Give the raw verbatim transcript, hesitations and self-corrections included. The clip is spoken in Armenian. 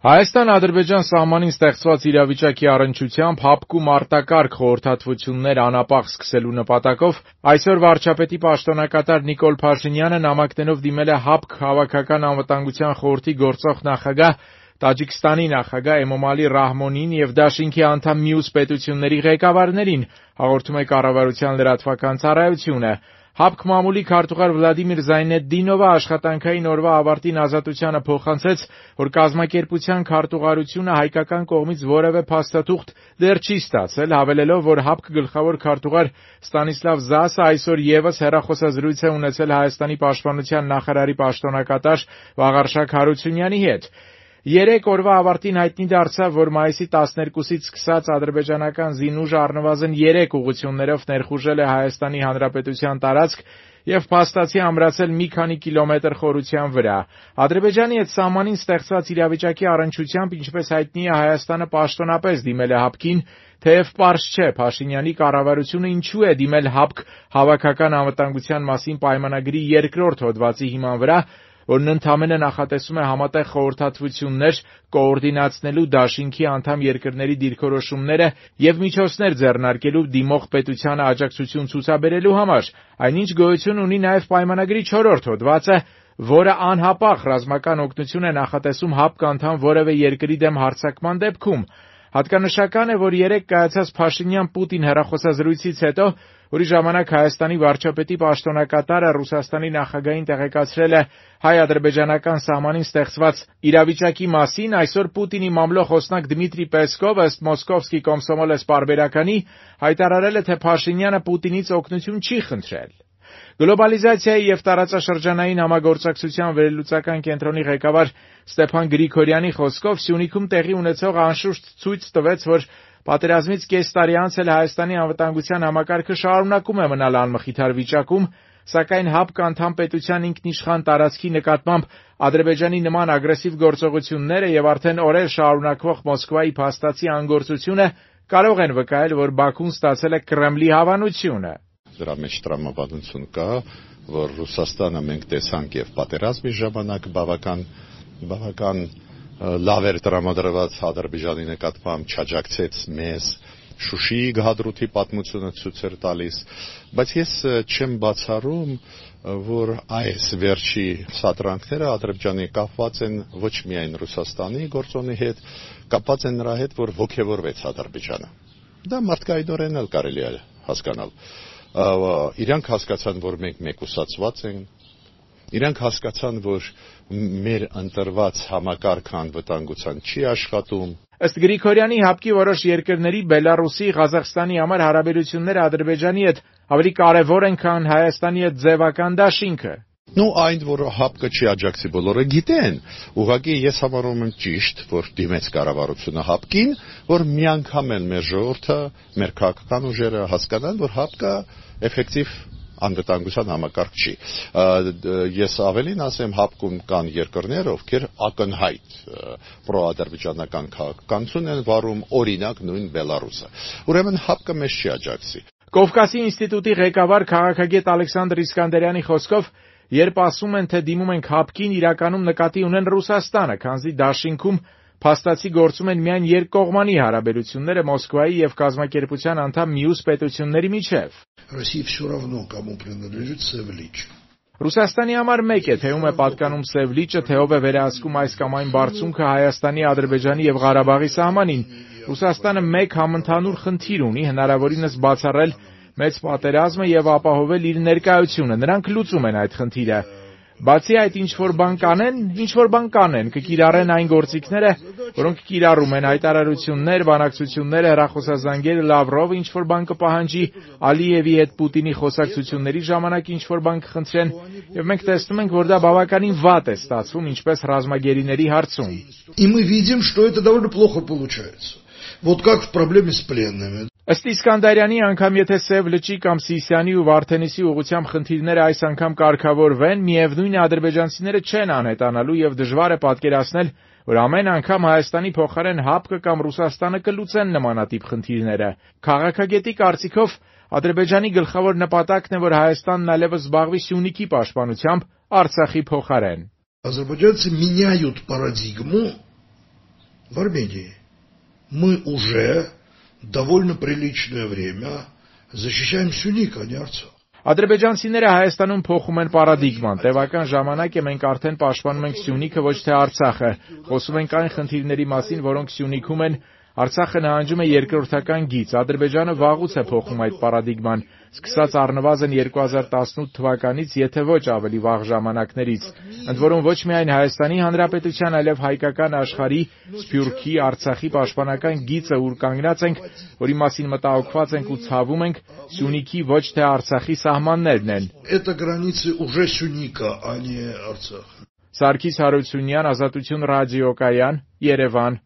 Հայաստան-Ադրբեջան սահմանին ստեղծված իրավիճակի առնչությամբ ՀԱՊԿ-ում արտակարգ խորհրդատվություններ անապահ սկսելու նպատակով այսօր վարչապետի պաշտոնակատար Նիկոլ Փաշինյանը նամակներով դիմել է ՀԱՊԿ Հավաքական անվտանգության խորհրդի գործող նախագահ Տաջիկստանի նախագահ Էմոմալի Ռահմոնին եւ դաշինքի անդամ մյուս պետությունների ղեկավարներին, հաղորդում է Կառավարության լրատվական ծառայությունը։ ՀԱՊԿ մամուլի քարտուղար Վլադիմիր Զայնեդդինովը աշխատանքային օրվա ավարտին ազատությանը փոխանցեց, որ կազմակերպության քարտուղարությունը հայկական կողմից որևէ փաստաթուղթ դեռ չի ստացել, հավելելով, որ ՀԱՊԿ գլխավոր քարտուղար Ստանիսլավ Զասը այսօր եւս հեռախոսազրույց է ունեցել Հայաստանի պաշտպանության նախարարի պաշտոնակատար Վաղարշակ Հարությունյանի հետ։ Երեք օրվա ավարտին հայտնի դարձավ, որ մայիսի տասներկուսից սկսած ադրբեջանական զինուժը առնվազն երեք ուղղություններով ներխուժել է Հայաստանի Հանրապետության տարածք եւ փաստացի ամրացել մի քանի կիլոմետր խորության վրա։ Ադրբեջանի հետ սահմանին ստեղծված իրավիճակի առնչությամբ, ինչպես հայտնի է, Հայաստանը պաշտոնապես դիմել է ՀԱՊԿ-ին, թեև պարզ չէ Փաշինյանի կառավարությունը ինչու է դիմել ՀԱՊԿ Հավաքական անվտանգության մասին պայմանագրի երկրորդ հոդվածի հիման վրա, որն ընդամենը նախատեսում է համատեղ խորհրդատվություններ կոորդինացնելու դաշինքի անդամ երկրների դիրքորոշումները եւ միջոցներ ձեռնարկելու դիմող պետությանը աջակցություն ցուցաբերելու համար, այնինչ գոյություն ունի նաեւ պայմանագրի չորրորդ հոդվածը, որը անհապաղ ռազմական օգնություն է նախատեսում ՀԱՊԿ անդամ որևէ երկրի դեմ հարձակման դեպքում։ Հատկանշական է, որ երեկ կայացած Փաշինյան-Պուտին հեռախոսազրույցից հետո, որի ժամանակ Հայաստանի վարչապետի պաշտոնակատարը Ռուսաստանի նախագահին տեղեկացրել է հայ-ադրբեջանական սահմանին ստեղծված իրավիճակի մասին, այսօր Պուտինի մամլո խոսնակ Դմիտրի Պեսկովը ըստ Մոսկովսկի Կոմսոմոլես պարբերականի հայտարարել է, թե Փաշինյանը Պուտինից օգնություն չի խնդրել։ Գլոբալիզացիայի եւ տարածաշրջանային համագործակցության վերլուծական կենտրոնի ղեկավար Ստեփան Գրիգորյանի խոսքով Սյունիքում տեղի ունեցող անշուշտ ցույց տվեց, որ պատերազմից կես տարի անց էլ Հայաստանի անվտանգության համակարգը շարունակում է մնալ անմխիթար վիճակում, սակայն ՀԱՊԿ անդամ պետության ինքնիշխան տարածքի նկատմամբ Ադրբեջանի նման ագրեսիվ գործողությունները եւ արդեն օրեր շարունակվող Մոսկվայի փաստացի անգործությունը կարող են վկայել, որ Բաքուն ստացել է Կրեմլի հավանությունը։ Դրա մեջ տրամաբանություն կա, որ Ռուսաստանը մենք տեսանք եւ պատերազմի ժամանակ բավական բավական լավ էր տրամադրված Ադրբեջանի նկատմամբ, չաջակցեց մեզ, Շուշիի գահադրութի պատմությունը ցույց էր տալիս, բայց ես չեմ բացառում, որ այս վերջի սադրանքները Ադրբեջանի կապված են ոչ միայն Ռուսաստանի գործոնի հետ, կապված են նրա հետ, որ ոգևորվեց Ադրբեջանը։ Դա մարդկայինորեն էլ կարելի է հասկանալ։ Իրանք հասկացան, որ մենք մեկուսացված ենք, իրանք հասկացան, որ մեր ընտրված համակարգը անվտանգության չի աշխատում։ Ըստ Գրիգորյանի, ՀԱՊԿ-ի որոշ երկրների Բելարուսի, Ղազախստանի համար հարաբերությունները Ադրբեջանի հետ ավելի կարևոր են, քան Հայաստանի հետ ձևական դաշինքը։ Ну, այն, որ ՀԱՊԿ-ը չի աջակցի, բոլորը գիտեն։ Ուղղակի ես համարում եմ ճիշտ, որ դիմեց կառավարությունը ՀԱՊԿ-ին, որ մի անգամ էլ մեր ժողովուրդը, մեր քաղաքական ուժերը հասկանան, որ ՀԱՊԿ-ը էֆեկտիվ անվտանգության համակարգ չի։ Ես ավելին ասեմ, ՀԱՊԿ-ում կան երկրներ, ովքեր ակնհայտ պրոադրբեջանական քաղաքականություն են վարում, օրինակ նույն Բելարուսը։ Ուրեմն ՀԱՊԿ-ը մեզ չի աջակցի։ Կովկասի ինստիտուտի ղեկավար քաղաքագետ Ալեքսանդր Իսկանդերյանի խոսքով, երբ ասում են, թե դիմում ենք ՀԱՊԿ-ին, իրականում նկատի ունեն Ռուսաստանը, քանզի դաշինքում փաստացի գործում են միայն երկկողմանի հարաբերությունները Մոսկվայի եւ կազմակերպության անդամ մյուս պետությունների միջև։ Ռուսաստանի համար մեկ է, թե ում է պատկանում Սև լիճը, թե ով է վերահսկում այս կամ այն բարձունքը Հայաստանի, Ադրբեջանի եւ Ղարաբաղի սահմանին։ Ռուսաստանը մեկ համընդհանուր խնդիր ունի, հնարավորինս բացառել մեծ պատերազմը եւ ապահովել իր ներկայությունը։ Նրանք լուծում են այդ խնդիրը։ Բացի այդ, ինչ-որ բան կանեն, ինչ-որ բան կանեն, կկիրառեն այն գործիքները, որոնք կիրառում են հայտարարություններ, բանակցություններ, հեռախոսազանգեր, Լավրովը ինչ-որ բան կպահանջի, Ալիևի հետ Պուտինի խոսակցությունների ժամանակ ինչ-որ բան կխնդրեն, եւ մենք տեսնում ենք, որ դա բավականին վատ է ստացվում, ինչպես ռազմագերիների հարցում։ И мы видим, что это довольно плохо получается. Вот как в проблеме с пленными. Ըստ Իսկանդարյանի, անգամ եթե Սև լճի կամ Սիսիանի ու Վարդենիսի ուղղությամբ խնդիրները այս անգամ կարգավորվեն, միևնույն է ադրբեջանցիները չեն անհետանալու եւ դժվար է պատկերացնել, որ ամեն անգամ Հայաստանի փոխարեն ՀԱՊԿ-ը կամ Ռուսաստանը կլուծեն նմանատիպ խնդիրները։ Քաղաքագետի կարծիքով Ադրբեջանի գլխավոր նպատակն է, որ Հայաստանն այլևս զբաղվի Սյունիքի պաշտպանությամբ Արցախի փոխարեն։ Азербайджанцы меняют парадигму в Армении. Мы уже довольно приличное время защищаем Сюник, а не Арцах. Ադրբեջանցիները Հայաստանում փոխում են պարադիգման։ Տևական ժամանակ է մենք արդեն պաշտպանում ենք Սյունիքը, ոչ թե Արցախը։ Խոսում ենք այն խնդիրների մասին, որոնք Սյունիքում են, Արցախը նահանջում է երկրորդական գիծ։ Ադրբեջանը վաղուց է փոխում այդ պարադիգման, սկսած առնվազն երկու հազար տասնութ թվականից, եթե ոչ ավելի վաղ ժամանակներից։ Ընդ որում ոչ միայն Հայաստանի Հանրապետության, այլև հայկական աշխարհի, Սփյուռքի, Արցախի պաշտպանական գիծը, ուր կանգնած ենք, որի մասին մտահոգված ենք ու ցավում ենք, Սյունիքի ոչ թե Արցախի սահմաններն են։ Это границы уже Сюника, а не Арцаха. Սարգիս Հարությունյան, Ազատություն ռադիոկայան, Երևան։